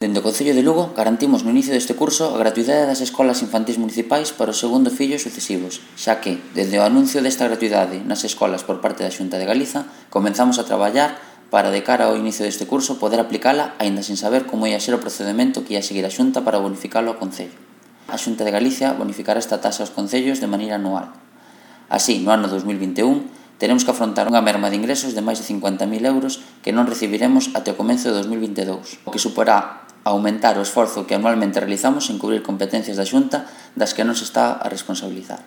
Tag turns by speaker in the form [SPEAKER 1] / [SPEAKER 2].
[SPEAKER 1] Dende o Concello de Lugo garantimos no inicio deste curso a gratuidade das escolas infantís municipais para o segundo fillo sucesivos, xa que, dende o anuncio desta gratuidade nas escolas por parte da Xunta de Galiza, comenzamos a traballar para, de cara ao inicio deste curso, poder aplicala aínda sen saber como ia ser o procedemento que ia seguir a Xunta para bonificalo ao Concello. A Xunta de Galicia bonificará esta taxa aos concellos de maneira anual. Así, no ano 2021, teremos que afrontar unha merma de ingresos de máis de 50.000 euros que non recibiremos até o comenzo de 2022, o que suporá aumentar o esforzo que anualmente realizamos en cubrir competencias da Xunta das que non se está a responsabilizar.